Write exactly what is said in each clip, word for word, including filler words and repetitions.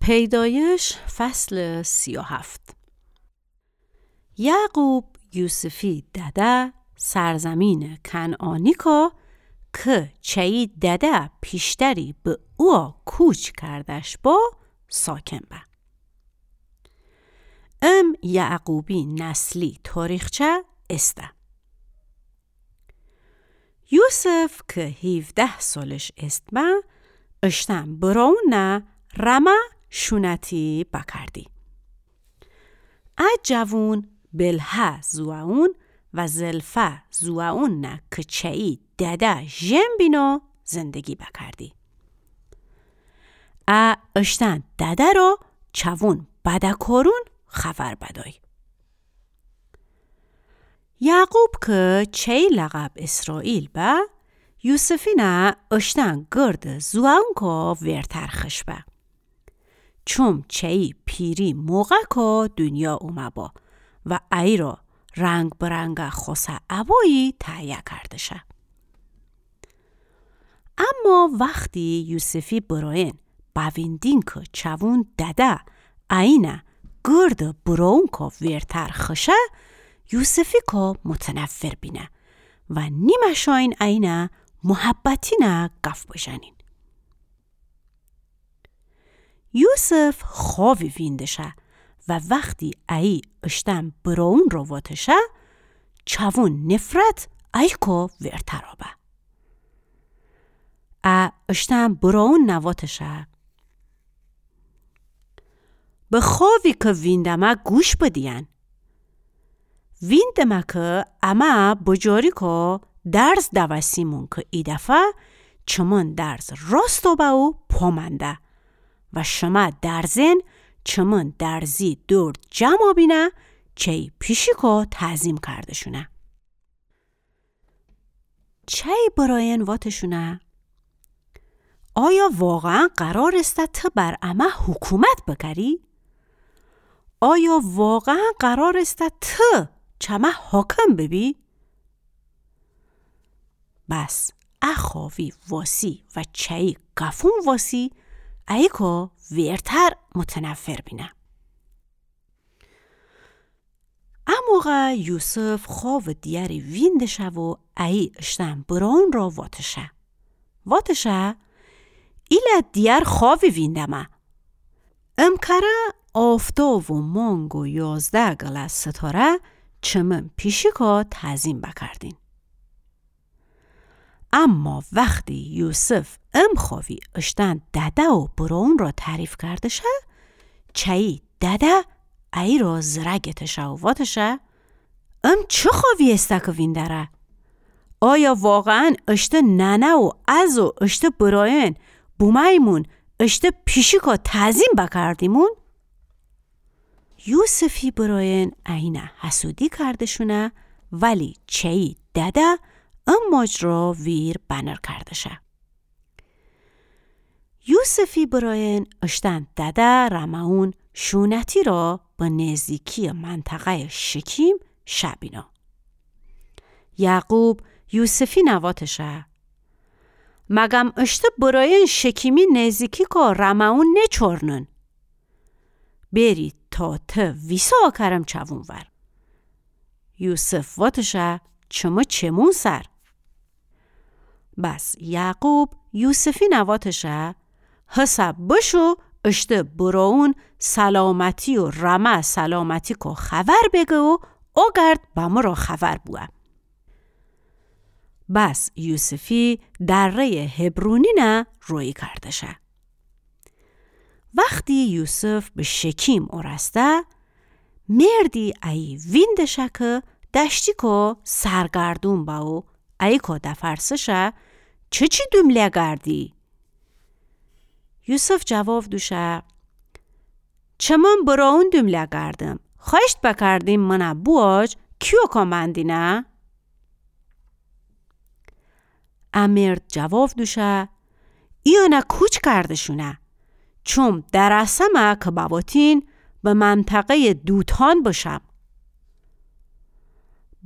پیدایش، فصل سی و هفت. یعقوب یوسفی دده سرزمینٚ کنعانیکا کی چیی دده پیشتری به اووا کوچ کردش با ساکن به. ام یعقوبی نسلی تاریخچه ایسه. یوسف کی هیوده سالش ایسه به، اشتن برونٚ رمه شونتی بکردی. ا جوون بلهه زوئون و زلفه زوئون نه کی چیی دده ژن بینه زندگی بکردی. ا اشتن دده را چوون بدکارون خبر بدی. یعقوب کی چیی لقب اسرائیل به، یوسفی نه اشتن گردٚ زوئونکا ویرتر خوش به. چوم چیی پیری موقعکا دونیا اومه با و ایرا رنگ برنگٚ خوسه ابایی تهیه کرده شه. اما وختی یوسفی برایین بویندین کی چوون دده اینه گردٚ برونکا ویرتر خوشه، یوسفیکا متنفر بینه و نیمه‌شاین اینه محبتینه گف بژنین. یوسف خوأبی وینده شه و وختی ایی اشتن برون را واته شه، چوون نفرت ایکا ویرتر آبه. ا اشتن برون نه واته شه: به خوأبی کی ویندمه گوش بدیین. ویندمه کی امه بجاریکا درز دوستیمون کی ایدفعه چمن درز راست آبه و پا منده و شمه درزن چمن درزی دور جمع آبینه چیی پیشیکا تعظیم کرده‌شونه. چیی برایین واته‌شونه: آیا واقعاً قرار ایسه تی بر امه حکومت بکری؟ آیا واقعاً قرار ایسه تی چمه حاکم ببی؟ بس ا خوأبی واسی و چیی گفون واسی ایکا ویرتر متنفر بینه. ا موقع یوسف خوأبٚ دیگری وینده شه و ایی اشتن برون را واته شه. واته شه: ایله دیگر خوأبی ویندمه. امکره آفتاب و مانگ و یازده گله ستاره چمن پیشیکا تعظیم بکردین. اما وختی یوسف ام خوأبی اشتن دده و برون را تعریف کرده شه، چیی دده ایرا زره گته شه و واته شه: ام چه خوأبی ایسه کی ویندره؟ آیا واقعاً اشته ننه و از و اشته برایین بومه‌ییمون اشته پیشیکا تعظیم بکردیمون؟ یوسفی برایین اینه حسودی کرده‌شونه، ولی چیی دده ام ماجرا ویر بنر کرده شه. یوسفی برایین اشتن دده رمه‌یون شونتی را به نیزدیکی منطقه‌یٚ شکیم شه بینه. یعقوب یوسفی نه واته شه: مگم اشته برایین شکیمی نیزدیکیکا رمه‌یون نیچورنن؟ بری تا تی ویسه کرم چوون ور. یوسف واته شه: چمه چمون سر. بس یعقوب یوسفی نه واته شه: هسه بشو اشته برایون سلامتی و رمه سلامتیکا خبر بگه و اوگرد بمره خبر بوه. بس یوسفی دره‌یٚ حبرونی نه رویی کرده شه. وختی یوسف به شکیم اورسته، مردی ایی وینده شه کی دشتیکا سرگردون به و ایکا دفرسه شه: چه چی دومله گردی؟ یوسف جواب دوشه: چمن برایون دومله گردم. خوأیشت بکردیم منه بوواج کیوکا مندینه؟ ا مرد جواب دوشه: ایانه کوچ کرده‌شونه، چوم درسمه کی بواتین به منطقه‌یٚ دوتان بشم.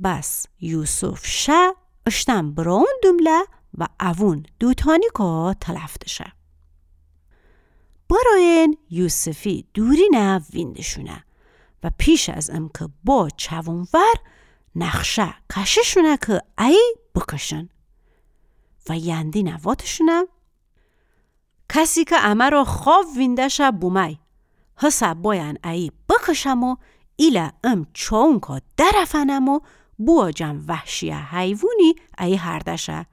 بس یوسف شه اشتن برایون دومله و اوون دوتانیکا تلف دشه. برایین یوسفی دورینه ویندشونه و پیش از امه که با چوون ور نقشه کشه‌شونه که ایه بکشن و یندینه واتشونه: کسی که امه را خواب وینده شه بومای، هسه بایان ایه بکشم و ایله ام چوونکا درفنم و بوجم وحشی حیوونی ایه هرده شه.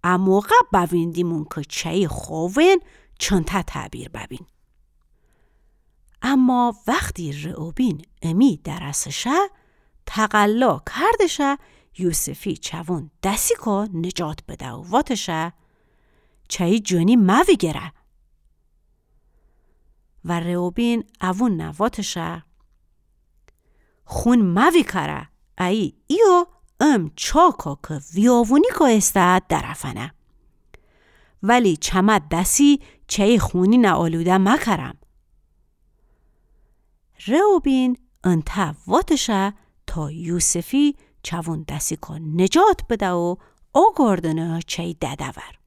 اموقع بویندیمون که چی خوابین چنته تعبیر ببین. اما وختی رئوبین امی درسه شه، تقلا کردشه یوسفی چوون دسیکا نجات بده و واتشه: چی جونی مویگره. و رئوبین اوون واتشه: خون مویکره، ایه ایو ام چاکا که ویاوونیکا ایسته درفنه. ولی چمه دسی چی خونینه آلوده مکرم. رئوبین انته واتشه تا یوسفی چوون دسیکا نجات بده و اوگردنه چی دده ور.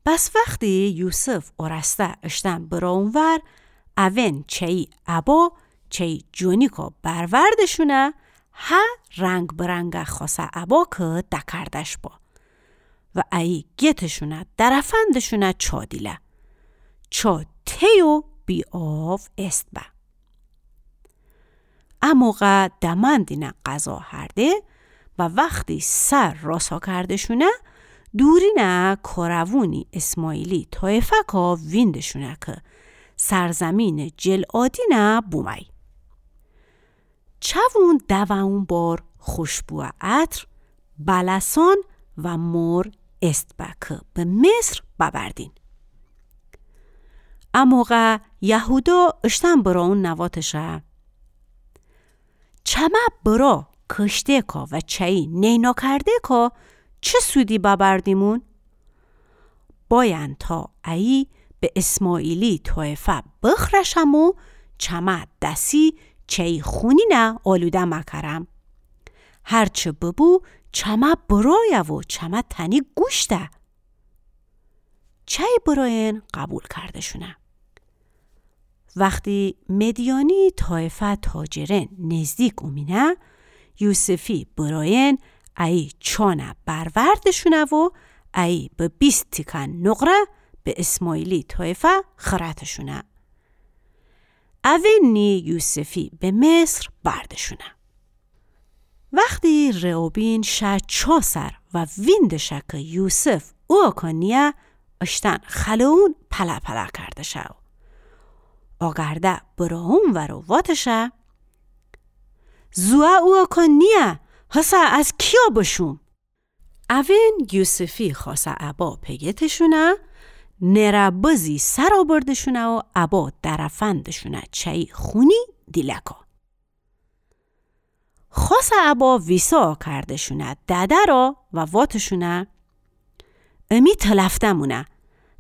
بس وختی یوسف اورسته اشتن براون ور، اوین چی ابا چی جونیکا بروردشونه، هه رنگ برنگ خاصه ابا که دکردش با و ایه گتشونه درفندشونه چا دیله. چا تی و بی آو ایست به. اموقع دمندینه غذا هرده و وختی سر راسا کردشونه، دورینه کاروونی اسماعیلی طایفه‌کا ویندشونه که سرزمین جلعادینه بومای. چوون دوون بار خوشبو عطر، بلسان و مر ایست به که به مصر ببردین. اموقع یهودا اشتن براون واتشه: چمه برا کشته‌کا و چی نینا کرده‌کا چه سودی ببردیمون؟ بایان تا ایه به اسماعیلی طایفه بخرشم و چمه دسی چی خونینه آلوده مکرم. هرچه ببو چمه برایه و چمه تنی گوشته. چی براین قبول کردشونه. وختی مدیانی طایفه تاجرین نزدیک اومینه، یوسفی براین ایه چانه بروردشونه و ایه به بیست تیکه نقره به اسماعیلی طایفه خرتشونه. اوین نی یوسفی به مصر بردشونه. وختی رئوبین شه چا سر و ویندشه که یوسف اوکا نیه، اشتن خلئون پله پله کردشه و اوگرده براون ور و واتشه: زوه اوکا نیه، هسه از کیا بشوم؟ اوین یوسفی خاصه ابا پگتشونه، نره بزی سر آبردشونه و ابا درفندشونه چی خونی دیلکا. خاصه ابا ویسا کردشونه دده را و واتشونه: امی تلفته‌مونه،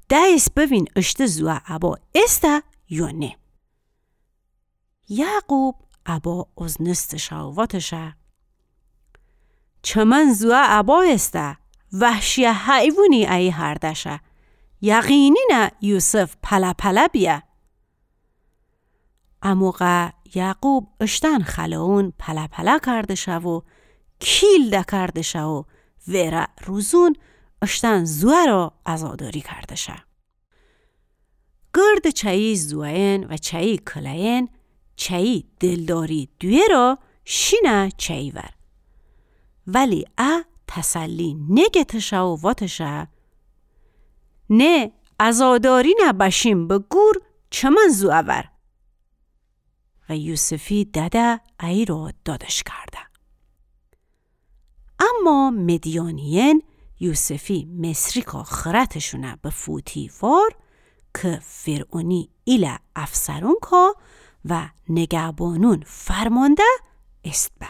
دئیس بوین اشته زوه ابا ایسته یا نه. یعقوب ابا اوزنستشه و واتشه: چمن زوه ابا ایسته، وحشی حیوونی ایه هردشه، یقینینه یوسف پله پله بیه. اموقع یعقوب اشتن خلئون پله پله کردشه و کیل دکردشه و وئره روزون اشتن زوه را عزاداری کردشه. گرد چه‌یی زوئن و چه‌یی کلئن چه‌یی دلداری دویه را شینه چه‌یی ور. ولی ا تسلی نگتشه و واتشه: نه، عزادارینه بشیم به گور، چمن زوئه ور. و یوسفی دده ای را دادش کرده. اما مدیانی‌یأن یوسفی مصری‌کا خرتشونه به فوتیفار که فرعونی ایله افسرونکا و نگهبانون فرمانده ایسه به.